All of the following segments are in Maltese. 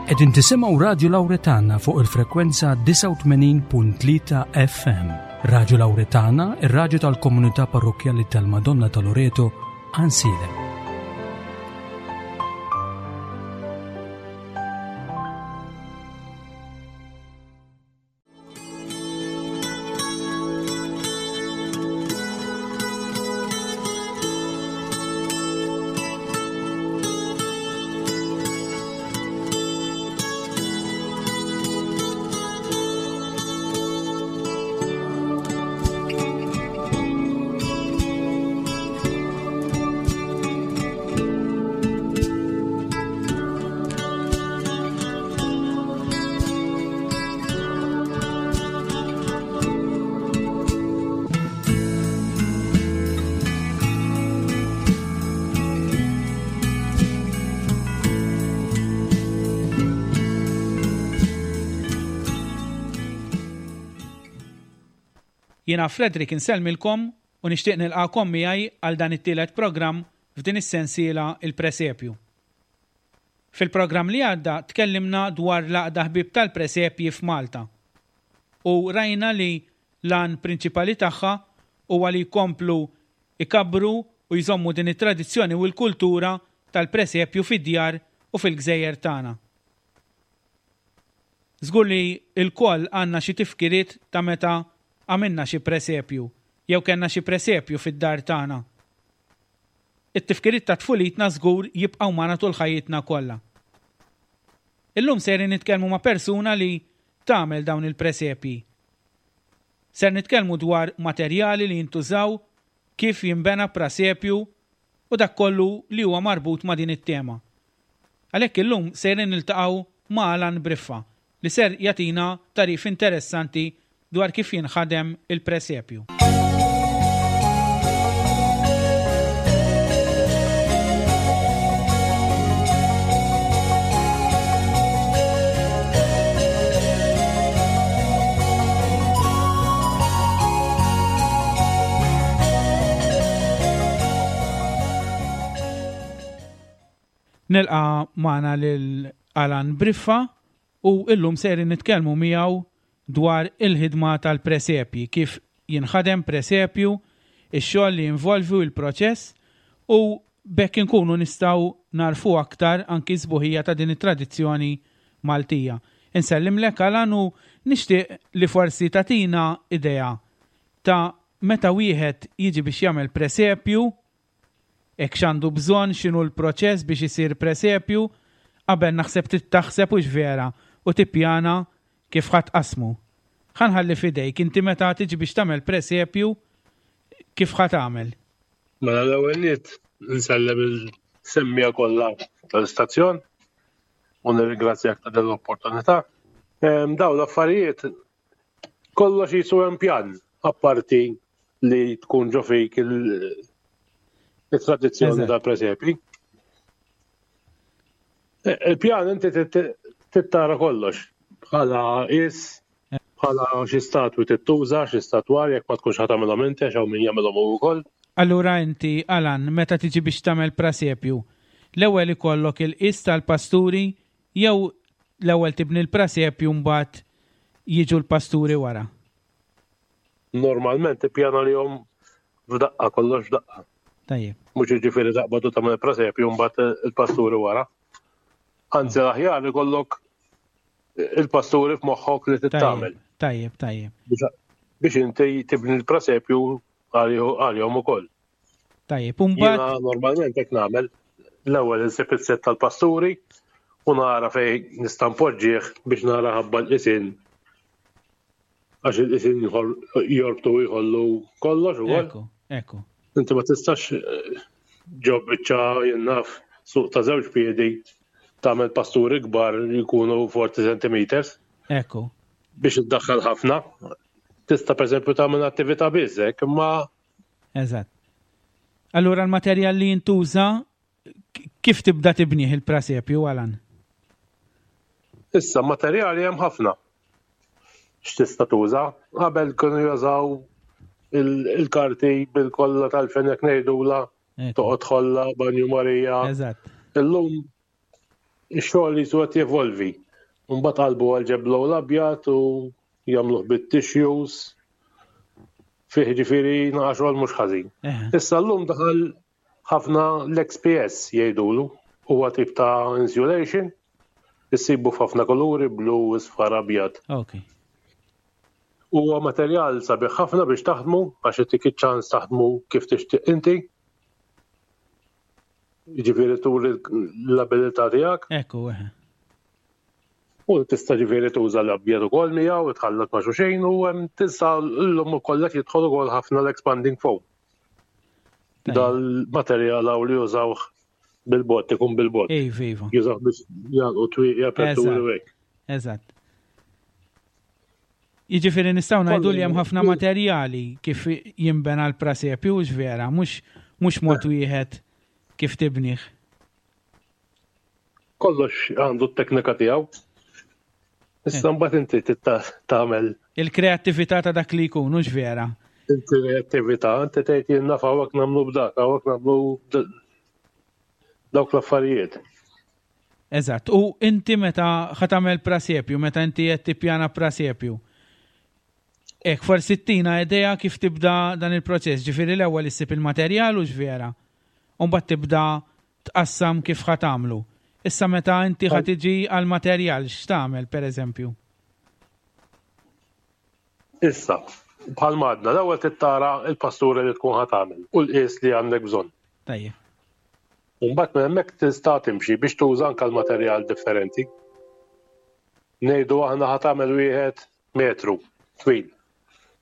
Qegħdin tisimgħu Radju Lawretana fuq il-frekwenza 89.3 FM. Radju Lawretana, ir-radju tal-komunità parrokkjali tal-Madonna ta' Loreto, Ansiedem. Jiena Frederick insellmilkom u nixtieq nilqagħkom miegħi għal dan it-tielet programm f'din is-sensiela Il-Presepju. Fil-programm li għadda tkellimna dwar l-Għaqda Ħbieb tal-Presepji f'Malta u rajna li l-għan prinċipali tagħha huwa li jkomplu jkabbru u jżommu din it-tradizzjoni u l-kultura tal-presepju fid-djar u fil-gżejjer tagħna. Żgur li lkoll għandna xi tifkiriet ta' meta għamilna xi presepju jew kellna xi presepju fid-dar tagħna. It-tifkiriet ta' tfulitna żgur jibqgħu magħna tul ħajjitna kollha. Illum sejrin nitkellmu ma' persuna li tagħmel dawn il-presepji. Ser nitkellmu dwar materjali li jintużaw, kif jinbena prasepju u dak kollu li huwa marbut ma' din it-tema. Għalhekk illum sejrin niltaqgħu ma' Alan Briffa li ser jagħtina tagħrif interessanti dwar kif jinħadem il-presepju. Nilqa' magħna lil Alan Briffa u illum sejrin nitkellmu miegħu dwar il-ħidma tal-presepji, kif jinħadem presepju, ix-xogħol li jinvolvi u l-proċess u b'hekk inkunu nistgħu nagħrfu aktar anki s-sbuħija ta' din it-tradizzjoni Maltija. Insellimlek Alan u nixtieq li forsi tagħtina idea ta' meta wieħed jiġi biex jagħmel presepju, Hekk x'għandu bżonn, x'inhu l-proċess biex isir presepju, qabel naħseb trid taħseb hux vera u tippjana kif ħa tqassmu. Ħa nħalli f'idejk inti meta tiġi biex tagħmel presepju kif ħa tagħmel. Mela l-ewwel nett insellem il-semmiegħa kollha tal-istazzjon u nirringrazzjak ta' din l-opportunità. Dawn l-affarijiet kollox jisu hemm pjan apparti li tkun ġo fik il-tradizzjoni tal-presepi. E, il-pjan inti tittara kollox bħala is, bħala xi statwi tittuża, xi statwar jekk ma tkunx ħa tagħmilhom inti għax hawn min jagħmilhom hu wkoll. Allura inti, Alan, meta tiġi biex tagħmel prasepju, l-ewwel ikollok il-qis tal-pasturi Jew l-ewwel tibni l-prasepju mbagħad jiġu l-pasturi wara? Normalment tippjana lihom f'daqqa, kollox f'daqqa. Tajjeb. Mhux jiġifieri taqbad u tagħmel il-prasepju mbagħad il-pasturi wara. Anzi l-aħjar ikollok il-pasturi f'moħħok li tittamel. Tajjeb, tajjeb. Biex inti tibni l-prasepju għalihom ukoll. Tajjeb, u mbagħad. Jiena normalment hekk nagħmel. L-ewwel insib is-sett tal-pasturi u nara fejn nista' npoġġih biex nara ħabba l-qisin għax il-qisin jorbtu u jħollu kollox ukoll. Ekku, ekku. Inti ma tistax eh, ġo biċċa jien naf suq ta' żewġ piedi tagħmel pasturi kbar jkunu 40 centimeters. Ekku. Biex iddaħħal ħafna. Tista' pereżempju tagħmel attività biss hekk, imma Eżatt. Allura l-materjal li jintuża kif tibda tibnih il-prasepju, Alan? Issa, materjali hemm ħafna. X'tista' tuża? Qabel kienu jużaw il-karti bil-kolla tal-fenek ngħidula, toqgħod ħolla, banju Marija. Eżatt. Illum. Ix-xogħol jisu qed jevolvi. Mbagħad qalbu għal ġeblow l-abjad u jagħmluh bit-tissues. Fih ġifieri naqa' xogħol mhux ħażin. Issa llum daħal ħafna l-XPS jgħidulu, huwa tip ta' insulation, issibu f'ħafna kuluri, blu, isfar, abjad. Okay. Huwa materjal sabiħ ħafna biex taħdmu għax itik iċ-ċans taħdmu kif tixtieq inti. Jiġifieri turi l-abilità tiegħek. Ekku, eħe. U tista' ġifieri tuża l-abjad ukoll miegħu u tħallat ma' xulxin u hemm tista' llum ukoll qed jidħol ukoll ħafna l-expanding foam. Dal-materjal hawn li jużawh bil-bott, ikun bil-bott. Iva, iva. Jużawh biex jagħlqu twieqi aperturi u hekk. Eżatt. Jiġifieri nistgħu ngħidu li hemm ħafna materjali kif jinbena l-prasepju hux vera, mhux mhux mod wieħed kif tibnih. Kollox għandu t-teknika tiegħu. Issa eh. mbagħad inti tagħmel. Il-kreattività ta' dak li jkun hux vera. Il-kreattività, inti tgħid jien naf hawnhekk nagħmlu b'dak, hawnhekk nagħmlu dawk l-affarijiet. Eżatt. U inti meta ħa tagħmel prasepju, meta inti qed tippjana prasepju, hekk forsi ttina idea kif tibda dan il-proċess, ġifieri l-ewwel issib il-materjal hux vera, u mbagħad tibda tqassam kif ħa tagħmlu. Issa meta inti ħa tiġi għall-materjal x'tagħmel pereżempju? Issa, bħalma għadna, l-ewwel trid tara l-pastura li tkun ħa tagħmel u l-qies li għandek bżonn. Tajjeb. U mbagħad minn hemmhekk tista' timxi biex tuża anke l-materjal differenti. Ngħidu aħna ħa tagħmel wieħed metru twil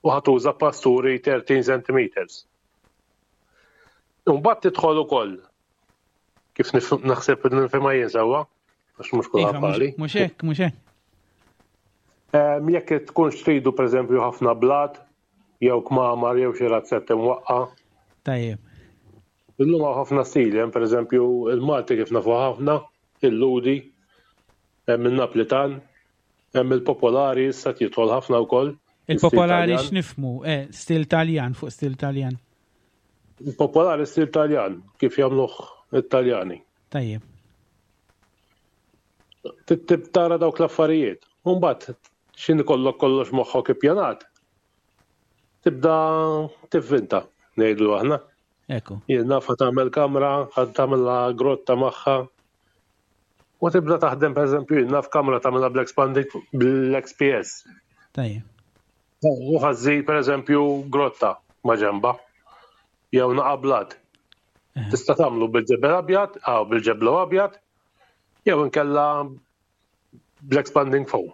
u ħa tuża pasturi 13 centimeters. Mbagħad tidħol ukoll kif naħseb nifhimha jien sewwa, għax mhux kulħadd Iva, bħali. Mhux hekk, mhux hekk. Jekk tkunx tridu pereżempju ħafna blat jew kmamar jew xi razzett imwaqqa'. Tajjeb. Illum hawn ħafna stili, hemm pereżempju il-Malti kif nafu ħafna, il-Lhudi, hemm in-Naplitan, hemm il-Popolari issa qed jidħol ħafna wkoll. Il-Popolari x'nifhmu? Eh, stil Taljan fuq stil Taljan. Il-Popolari stil Taljan, kif jagħmluh it-Taljani. Tajjeb. Tib tara dawk l-affarijiet. U mbagħad x'in ikollok kollox moħħok ippjanat. Tibda tivvinta, ngħidu aħna. Ekku. Jien naf ħa tagħmel kamra, ħa tagħmilha grotta magħha. U tibda taħdem pereżempju jien naf kamra tagħmilha bl-expanding bl-XPS. Tajjeb. U ħażżid pereżempju grotta ma' ġemba jew naqa' blat. Eh. Tista' tagħmlu bil-ġebel abjad, aw bil-ġeblu abjad, jew inkella bl-expanding foam.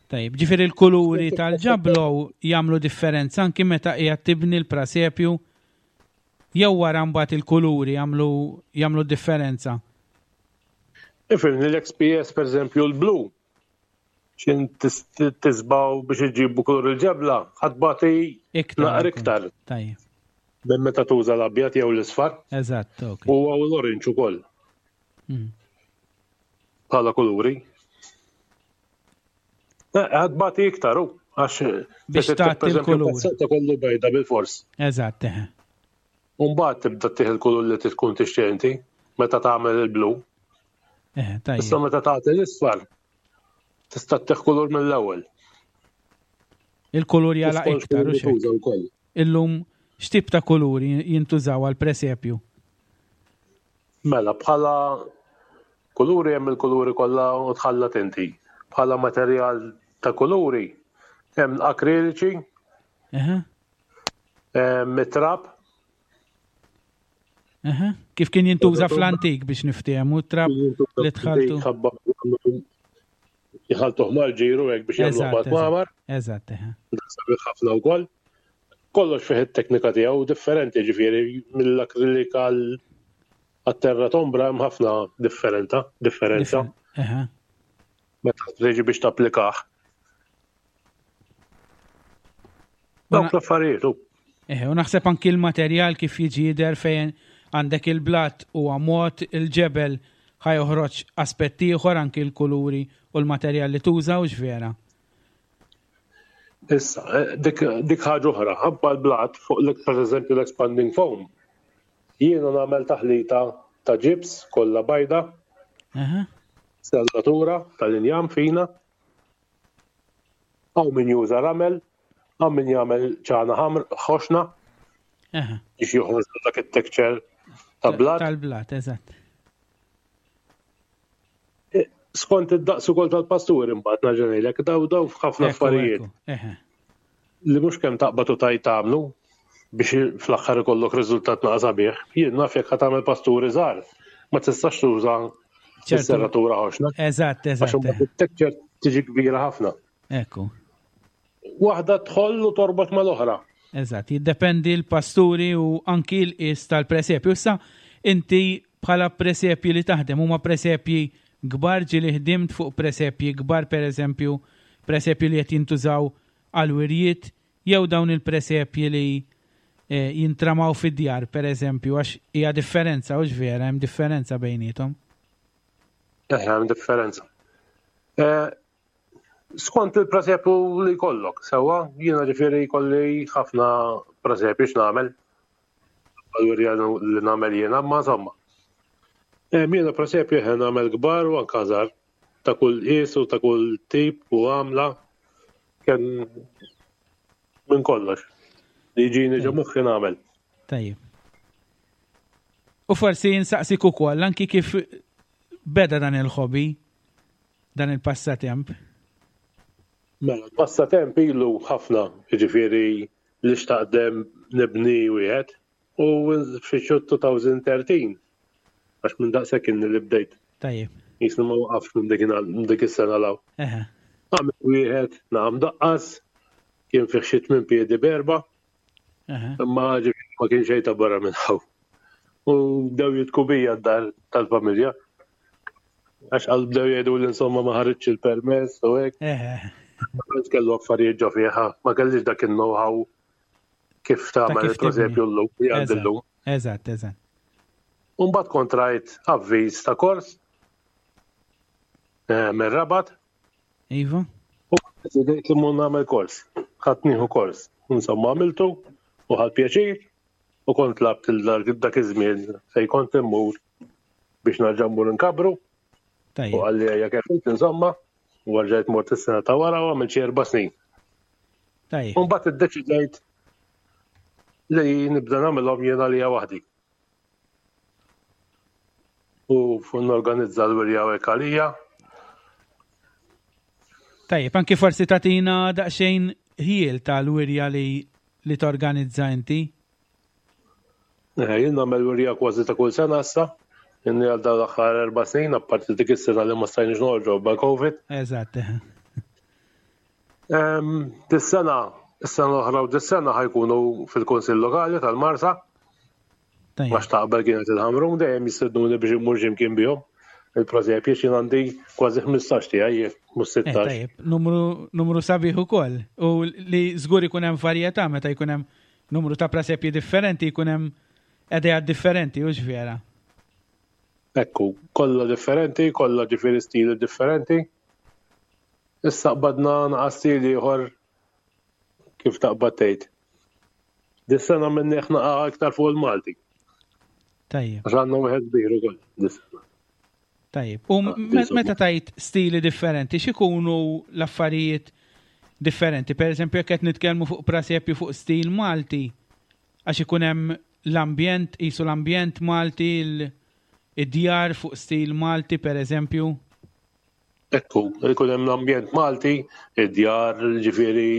Tajjeb, ġifieri l-kuluri tal-ġablow jagħmlu differenza anki meta qiegħed tibni l-prasepju jew wara mbagħad il-kuluri jagħmlu jagħmlu differenza. Ifhimni l-XPS pereżempju l-blu xin tisbaw biex iġibu kulur il-ġebla, ħatbati naqra iktar. Tajjeb. Minn meta tuża l-abjad jew l-isfar. Eżatt, ok. U l-orange ukoll. Mm. Bħala kuluri. Eh, ħadbati iktar, u għax biex tagħti l-kulur. Ta' kollu bejda bil-fors. Eżatt, eh. Umbagħad tibda tieħ il-kulur li tkun tixtieq inti meta tagħmel il-blu. Eh, tajjeb. Issa meta tagħti l-isfar tista' tieħ kulur mill-ewwel. Il-kulur jala iktar u xejn. Illum x'tip ta' kuluri jintużaw għal presepju? Mela, bħala kuluri hemm il-kuluri kollha u tħallat inti. Bħala materjal ta' kuluri hemm l-akriliċi, hemm it-trab. Kif kien jintuża fl-antik biex niftehmu trab li tħaltu. Jħaltuh mal-ġiru hekk biex jagħmlu mal-kmamar. Eżatt, Sabiħ ħafna wkoll. Kollox fih it-teknika tiegħu differenti ġifieri mill-akrilik għal għat-terra tombra hemm ħafna differenta, differenza. Meta tiġi biex tapplikah. Dawk l-affarijiet. Eh, u naħseb anki l-materjal kif jiġi jidher fejn għandek il-blat u mod il-ġebel ħajoħroġ aspett ieħor anki l-kuluri u l-materjal li tuża u vera. Issa, eh, dik, dik ħaġa oħra, ħabba l-blat fuq l per eżempju l-expanding foam. Jiena nagħmel taħlita ta' ġibs kollha bajda. Serratura tal-injam fina. Hawn min juża ramel, hawn min jagħmel ċana ħamr ħoxna. Biex joħroġ dak it-texture ta' blat. Tal-blat, eżatt. E, skont id-daqs ukoll tal-pasturi mbagħad nerġa' ngħidlek daw daw f'ħafna affarijiet. Li mhux kemm taqbad u tajt tagħmlu biex fl-aħħar ikollok riżultat naqa' sabiħ. Jien naf jekk ħa tagħmel pasturi żgħar, ma tistax tuża s-serratura ħoxna. Eżatt, eżatt. Għax it-texture tiġi kbira ħafna. Ekku. Waħda tħoll u torbot mal-oħra. Eżatt, jiddependi l-pasturi u anki l-qis tal-presepju. Issa inti bħala presepji li taħdem huma presepji kbar ġieli ħdimt fuq presepji kbar pereżempju presepji li qed jintużaw għal wirjiet jew dawn il-presepji li eh, jintramaw fid-djar pereżempju għax hija differenza hux vera hemm differenza bejniethom. Eh, hemm differenza. Eh, skont il-presepju li jkollok, sewwa, jiena ġifieri jkolli ħafna presepju x'nagħmel. Għal-wirja li nagħmel jiena, ma insomma. Eh, jiena presepju ħen nagħmel kbar u anke żgħar ta' kull qies u ta' kull tip u għamla kemm minn kollox. Li jiġini ġo moħħi nagħmel. Tajjeb. U forsi nsaqsik ukoll anki kif beda dan il-hobby dan il-passatemp? Mela, l-passatemp ilu ħafna, jiġifieri li xtaqt nibni wieħed u fi 2013 għax minn daqshekk inni li bdejt. Tajjeb. Jisni ma waqafx minn dik minn dik is-sena law. Għamil wieħed naqam daqqas, kien fih xi tmien piedi berba. Imma ġifieri ma kien xejn ta' barra minn hawn. U bdew jitku bija d-dar tal-familja. Għax għal bdew jgħidu li insomma ma ħaritx il-permess u hekk. Ma kellu affarijiet ġo fiha, ma kellix dak il-know-how kif tagħmel il-presepju llum li għandi llum. Eżatt, eżatt. Umbagħad kont rajt avviż ta' kors eh, mir-Rabat. Iva. U deċidejt li mmur nagħmel kors. Ħadd nieħu kors. Insomma għamiltu u ħadd pjaċir u kont labt dak iż-żmien fejn kont immur biex narġa' mmur inkabru. U għalli għajja kif insomma, u għarġajt mort is-sena ta' wara u għamilt xi erba' snin. Tajjeb. U mbagħad iddeċidejt li nibda nagħmilhom jien għalija waħdi. U norganizza l-wirja u hekk għalija. Tajjeb, anki forsi tagħtina daqsxejn ħiel tal-wirja li li torganizza inti. Eh, jien nagħmel wirja kważi ta' kull sena issa. Inni għal dawn l-aħħar erba' snin, apparti dik is-sena li ma stajniex noħorġu ba' COVID. Eżatt. Dis-sena, is-sena l-oħra u dis-sena ħajkunu fil-Kunsill Lokali tal-Marsa. Għax ta' qabel kienet il-Ħamrun dejjem jistednuni biex immur x'imkien bihom. Il-presepji x'jien għandi kważi 15 tiegħi mhux 16. Eh, tajjeb, numru, numru sabiħ ukoll. U li żgur ikun hemm varjetà meta jkun hemm numru ta' presepji differenti jkun hemm idejat differenti, hux vera? Ekku, kollha differenti, kollha ġifieri stili differenti. Issa qbadna naqa' stil ieħor kif taqbad tgħid. Dis-sena minni naqa' iktar fuq il-Malti. Tajjeb. Għax għandna wieħed kbir ukoll dis-sena. Tajjeb. U ah, meta tajt stili differenti, x'ikunu l-affarijiet differenti? Per eżempju, jekk qed nitkellmu fuq prasepju fuq stil Malti, għax ikun hemm l-ambjent, qisu l-ambjent Malti, id-djar fuq stil Malti, per eżempju? Ekku, ikun hemm l-ambjent Malti, id-djar, ġifieri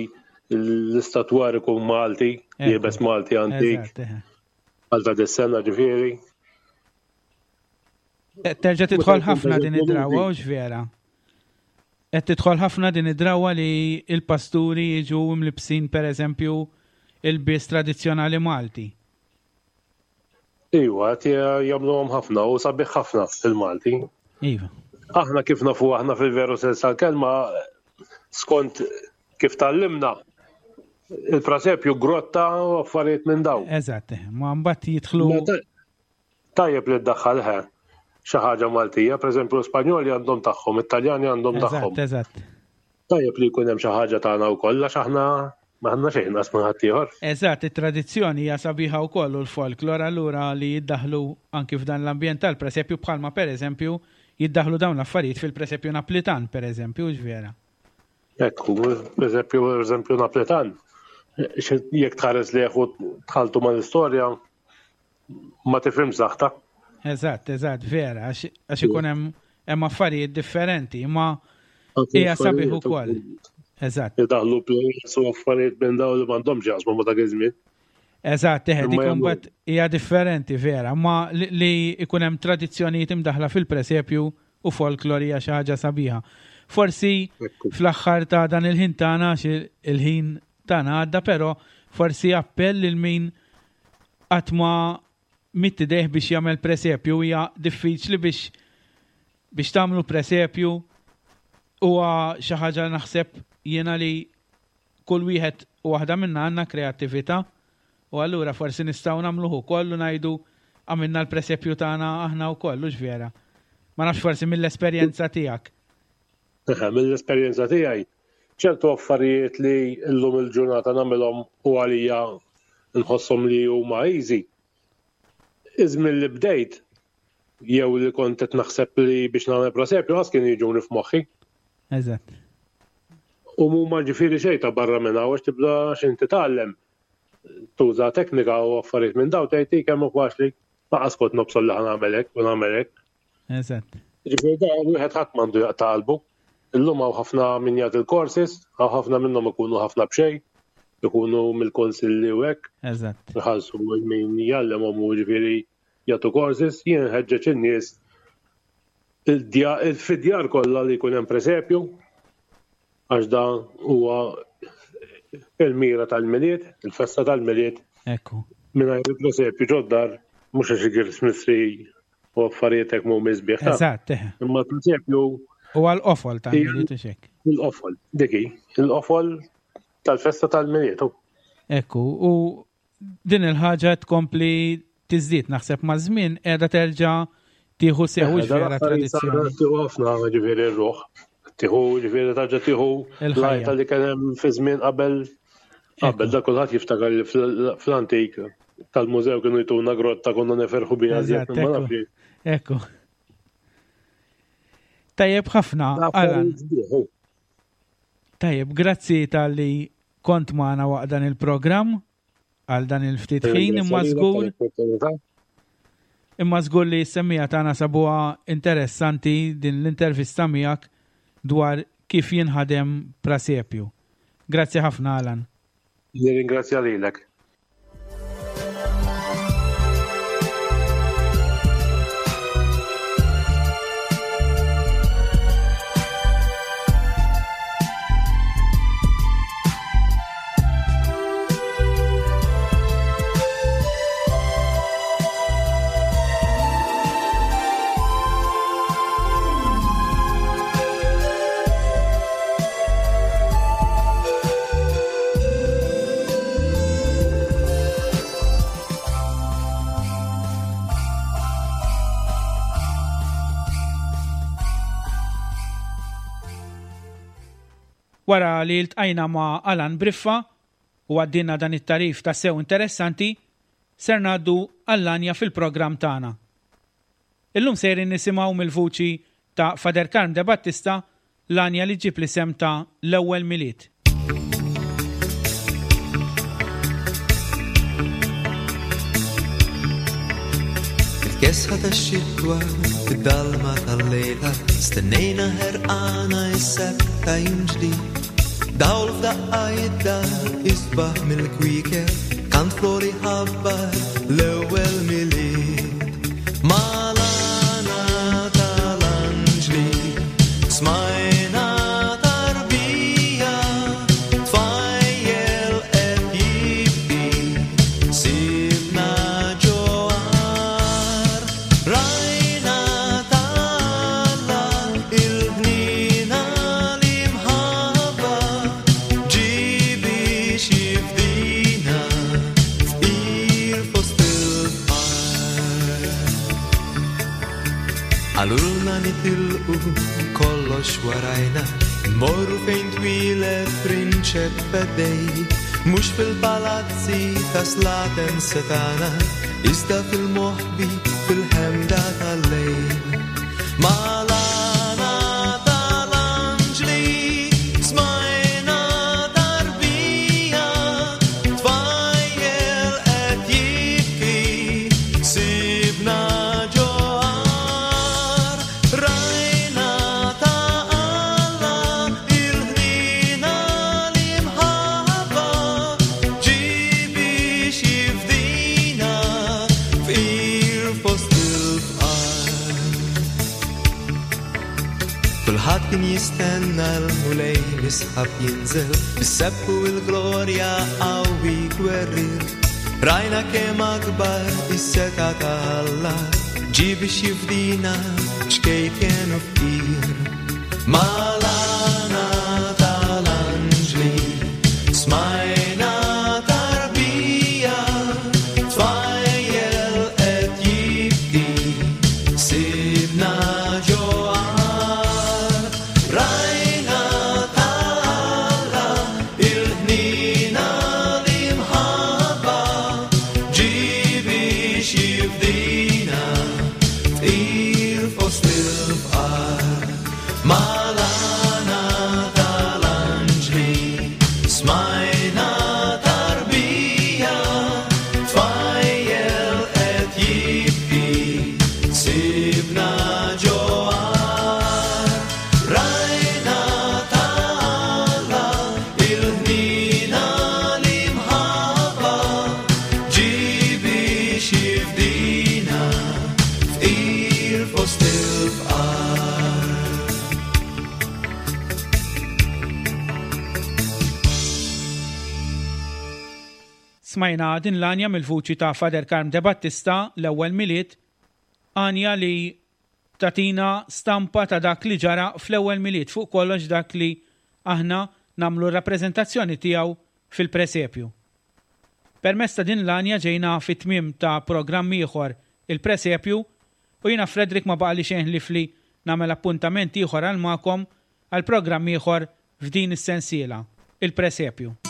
l-istatwar ikun Malti, liebes Malti antik. Għal ta' dis-sena ġifieri. Eh, terġa' tidħol ħafna din id-drawa, u vera. Qed tidħol ħafna din id-drawa li il-pasturi jiġu mlibsin pereżempju il-bies tradizzjonali Malti. Iwa, qed jagħmluhom ħafna u sabiħ ħafna il-Malti. Iva. Aħna kif nafu aħna fil-veru sens tal-kelma skont kif tallimna il-prasepju grotta u affarijiet minn daw. Eżatt, ma mbagħad jidħlu. Tajjeb li ddaħħal ħe xi ħaġa Maltija, pereżempju l-Spanjoli għandhom tagħhom, it-Taljani għandhom tagħhom. Eżatt. Tajjeb li jkun hemm xi ħaġa tagħna wkoll għax aħna m'għandna xejn inqas minn ħaddieħor. Eżatt, it-tradizzjoni hija sabiħa wkoll u l-folklor allura li jiddaħħlu anki f'dan l-ambjent tal-presepju bħalma pereżempju jiddaħlu dawn l-affarijiet fil-presepju Naplitan, per eżempju, vera. Ekku, presepju, per eżempju, Naplitan, jekk tħares li u tħaltu mal-istorja, ma tifhimx saħta. Eżatt, eżatt, vera, għax ikun hemm hemm affarijiet differenti, imma hija sabiħ ukoll. Eżatt. Idaħlu players u affarijiet minn dawn li m'għandhomx jaqsmu ma dak iż-żmien. Eżatt, eħe, dik imbagħad hija differenti vera, ma li ikun hemm tradizzjonijiet imdaħla fil-presepju u folklor hija xi ħaġa sabiħa. Forsi fl-aħħar ta' dan il-ħin tagħna il-ħin tagħna għadda, però forsi appell lil min qatt ma mitt idejh biex jagħmel presepju hija diffiċli biex biex tagħmlu presepju huwa xi ħaġa naħseb jiena li kull wieħed u waħda minna għandna kreattività u allura forsi nistgħu nagħmluh ukoll u ngħidu għamilna l-presepju tagħna aħna wkoll, hux vera? Ma nafx forsi mill-esperjenza tiegħek. Mill-esperjenza tiegħi, ċertu affarijiet li llum il-ġurnata nagħmilhom u għalija nħosshom li huma easy. Iż-żmien li bdejt jew li kont qed naħseb li biex nagħmel presepju ħas kienu jiġuni f'moħħi. Eżatt. U mhuma ġifieri xejn ta' barra minn hawn għax tibda x'inti titgħallem tuża teknika u affarijiet minn daw tgħid kemm hu faċli laqas kont nobsol li ħa nagħmel hekk u nagħmel hekk. Eżatt. Ġifieri da wieħed ħadd m'għandu jaqta' qalbu. Illum hawn ħafna min jagħti l-courses, hawn ħafna minnhom ikunu ħafna b'xejn, ikunu mill-kunsilli u hekk. Eżatt. Iħallsu min jgħallimhom u ġifieri jagħtu courses, jien nħeġġeġ in-nies fid-djar kollha li jkun hemm presepju, għax da huwa il-mira tal-Milied, il-festa tal-Milied. Ekku. Mingħajr il-presepju ġod-dar, mhux għax il-Christmas tree u affarijiet hekk mhumiex sbieħ. Eżatt, eħe. Imma l-presepju Huwa l-qofol tal-Milied u xek. Il-qofol, dik hi, il-qofol tal-festa tal-Milied. Ekku, u din il-ħaġa tkompli tiżdied naħseb maż-żmien qiegħda terġa' tieħu sew vera tradizzjoni. Tieħu ħafna ġifieri r-ruħ. Tieħu ġifieri tarġa' tieħu l-ħajja li kien hemm fi żmien qabel qabel da kulħadd jiftakar li fl-antik tal-mużew kienu jtuna grotta konna neferħu biha żjed ma nafx. Ekku. Tajjeb ħafna, Alan. Tajjeb, grazzi tal-li kont magħna waqt dan il-programm għal dan il-ftit ħin imma żgur imma żgur li s-semmija tagħna sabuha interessanti din l-intervista miegħek dwar kif jinħadem prasepju. Grazzi ħafna Alan. Nirringrazzja lilek. Wara li ltqajna ma' Alan Briffa u għaddilna dan it-tagħrif tassew interessanti, ser ngħaddu għall-għanja fil-programm tagħna. Illum sejrin nisimgħu mill-vuċi ta' Father Karm De Battista L-għanja li ġġib l-isem ta' L-Ewwel Milied. Fil-kesħa tax-xitwa, fid-dalma tal-lejla, stennejna ħerqana is-sebħ ta' jum ġdid. Dawl f'daqqa jidda isbaħ mill-kwiekeb, kant flori ħabbar l-ewwel Milied. Mal-għana tal-anġli smajna tarbija tfajjel qed jibki sibna ġo għar rajna t'Alla il-ħniena l-imħabba ġie biex jifdina fqir fost il-fqar. Qalulna nitilqu kollox warajna, immorru fejn twieled prinċep feddej, mhux fil-palazzi ta' slaten setgħana, iżda fil-moħbi fil-ħemda tal-lejl. Mal Kulħadd kien jistenna l-Mulej misħab jinżel, bis-sebħ u l-glorja qawwi gwerrier. Rajna kemm akbar is-setgħa ta' Alla, ġie biex jifdina ċkejken u fqir. Mal-għana tal-anġli smajna tarbija, tfajjel qed jibki, sibna ġo għar. Rajna ta' Alla il-ħniena l-imħabba, ġie biex jifdina fqir fost il-fqar. Mal-għana tal-anġli smajna tarbija, tfajjel qed jibki, sibna ġo għar. Rajna ta' Alla il-ħniena l-imħabba, ġie biex jifdina fqir fost il-fqar. Smajna din l-għanja mill-vuċi ta' Father Karm De Battista l-ewwel Milied, għanja li tatina stampa ta' dak li ġara fl-ewwel Milied, fuq kollox dak li aħna nagħmlu r-rappreżentazzjoni tiegħu fil-presepju. Permezz ta' din l-għanja ġejna fit-tmiem ta' programm ieħor il-presepju u jiena Frederick ma baqali xejn ħlief li nagħmel appuntament ieħor għal magħkom għal programm ieħor f'din is-sensiela, il-presepju.